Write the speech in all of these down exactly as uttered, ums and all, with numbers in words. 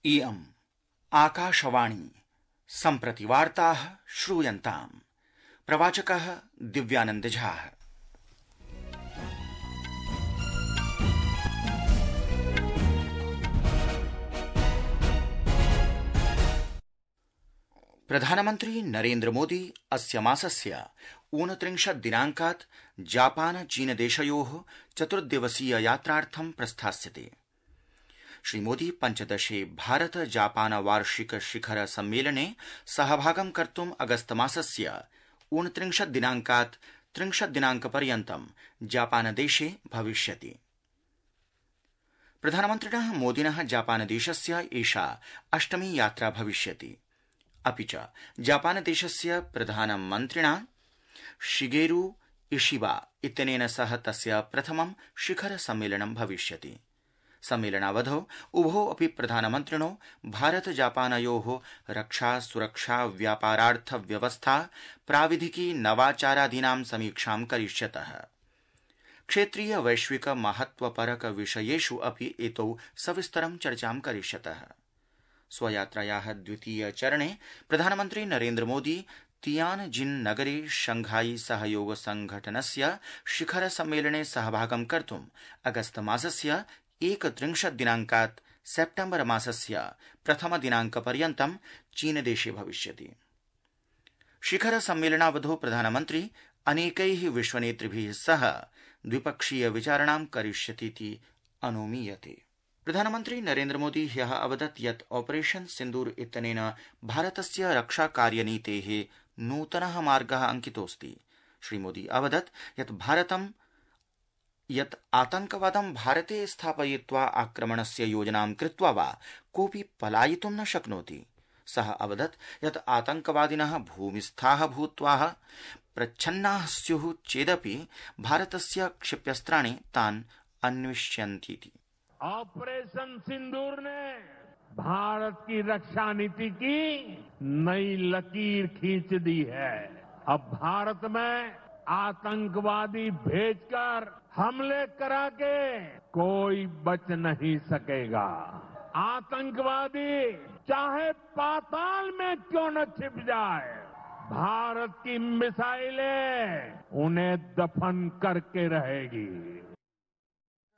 इयम् आकाशवाणी सम्प्रति वार्ताः श्रूयन्ताम्। प्रवाचकः दिव्यानंद झा। प्रधानमन्त्री नरेन्द्र मोदी अस्य मासस्य ऊनत्रिंशत् दिनाङ्कात् जापान चीन देशयोः चतुर्दिवसीय यात्रार्थं प्रस्थास्यते। श्रीमोदी पञ्चदशे भारत जापान वार्षिक शिखर सम्मेलने सहभागं कर्तुम् अगस्त मासस्य ऊनत्रिंशत् दिनाङ्कात् त्रिंशत् दिनाङ्कपर्यन्तं जापान देशे भविष्यति। प्रधानमन्त्रिणः मोदिनः जापान देशस्य एषा अष्टमी यात्रा भविष्यति। अपि च जापान देशस्य प्रधानमन्त्रिणा शिगेरु इशिबा इत्यनेन सह तस्य प्रथमं शिखर सम्मेलनं भविष्यति। सम्मेलनावधौ उभौ अपि प्रधानमन्त्रिणो भारत जापानयोः रक्षा सुरक्षा व्यापारार्थ व्यवस्था प्राविधिकी नवाचारादीनां समीक्षां करिष्यतः। क्षेत्रीय वैश्विक महत्वपरक विषयेषु अपि एतौ सविस्तरं चर्चां करिष्यतः। स्वयात्रायाः द्वितीय चरणे प्रधानमन्त्री नरेन्द्र मोदी तियानजिन नगरे शंघाई सहयोग संघटनस्य शिखर सम्मेलने सहभागं कर्तुम् अगस्त मासस्य एकत्रिंशत् दिनाङ्कात् सेप्टेम्बर मासस्य प्रथम दिनाङ्कपर्यन्तं चीन देशे भविष्यति। शिखर सम्मेलनावधौ प्रधानमन्त्री अनेकैः विश्वनेतृभिः सह द्विपक्षीय विचारणां करिष्यतीति अनुमीयते। प्रधानमन्त्री नरेन्द्र मोदी ह्यः अवदत् यत् ऑपरेशन सिन्दूर इत्यनेन भारतस्य रक्षाकार्यनीतेः नूतनः मार्गः अंकितोऽस्ति। श्रीमोदी अवदत् यत् भारतं यत् आतंकवादं भारते स्थापयित्वा आक्रमणस्य योजनां कृत्वा वा कोऽपि पलायितुं न शक्नोति। सः अवदत् यत् आतंकवादिनः भूमिस्थाः भूत्वा प्रच्छन्नाः स्युः चेदपि भारतस्य क्षिप्यस्त्राणि तान् अन्विष्यन्तीति। ऑपरेशन सिंदूर ने भारत की रक्षा नीति की नई लकीर खींच दी है। अब भारत में आतंकवादी भेजकर हमले करा के कोई बच नहीं सकेगा। आतंकवादी चाहे पाताल में क्यों न छिप जाए, भारत की मिसाइलें उन्हें दफन करके रहेगी।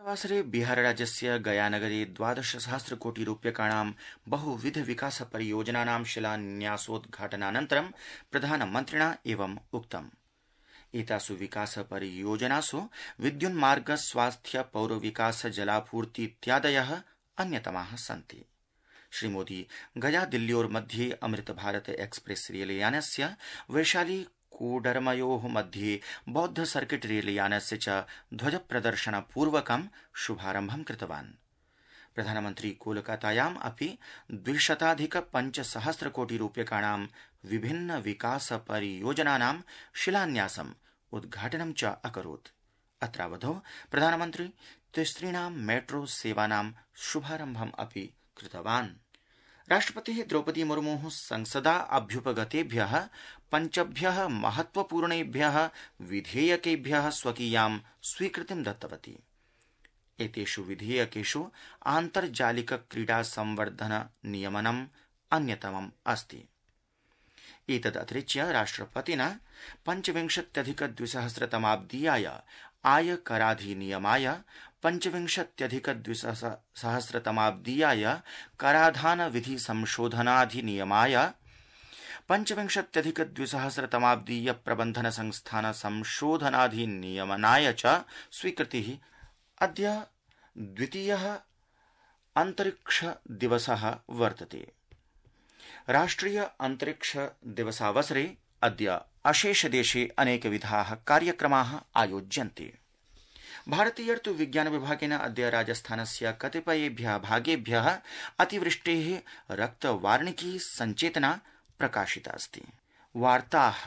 वासरे बिहार राज्यस्य गयानगरे द्वादश सहस्र कोटि रूप्यकाणां बहुविध विकास परियोजनानां शिलान्यासोद्घाटनानन्तरं प्रधानमन्त्रिणा एवं उक्तम्। एतासु विकास परियोजनासु विद्युन्मार्ग स्वास्थ्य पौर विकास जलापूर्ति इत्यादयः अन्यतमाः सन्ति। श्रीमोदी गया दिल्ल्योर्मध्ये अमृत भारत एक्सप्रेस रेलयानस्य वैशाली कोडरमयोः मध्ये बौद्ध सर्किट रेलयानस्य च ध्वज प्रदर्शन पूर्वकं शुभारम्भं कृतवान्। प्रधानमन्त्री कोलकातायाम् अपि द्विशताधिक पञ्चसहस्र कोटि रूप्यकाणां विभिन्न विकास परियोजनानां शिलान्यासम् उद्घाटनं च अकरोत्। अत्रावधौ प्रधानमन्त्री तिसृणां मेट्रो सेवानां शुभारम्भम् अपि कृतवान्। राष्ट्रपतिः द्रौपदी मुर्मुः संसदा अभ्युपगतेभ्यः पञ्चभ्यः महत्वपूर्णेभ्यः विधेयकेभ्यः स्वकीयां स्वीकृतिं दत्तवती। एतेषु विधेयकेषु आन्तर्जालिक क्रीडा संवर्धन नियमनम् अन्यतमम् अस्ति। एतदतिरिच्य राष्ट्रपतिना पञ्चविंशत्यधिक द्विसहस्रतमाब्दीयाय आयकराधिनियमाय, पञ्चविंशत्यधिक द्विसहस्रतमाब्दीयाय कराधान विधि संशोधनाधिनियमाय, पञ्चविंशत्यधिक द्विसहस्रतमाब्दीय प्रबन्धन संस्थान संशोधनाधिनियमनाय च स्वीकृतिः। अद्य द्वितीयः अंतरिक्ष दिवसः वर्तते। राष्ट्रिय अंतरिक्ष दिवसावसरे अद्य अशेष देशे अनेकविधाः कार्यक्रमाः आयोज्यन्ते। भारतीयर्तु विज्ञान विभागेन अद्य राजस्थानस्य कतिपयेभ्यः भागेभ्यः अतिवृष्टेः रक्तवार्णिकी संचेतना प्रकाशिता अस्ति। वार्ताः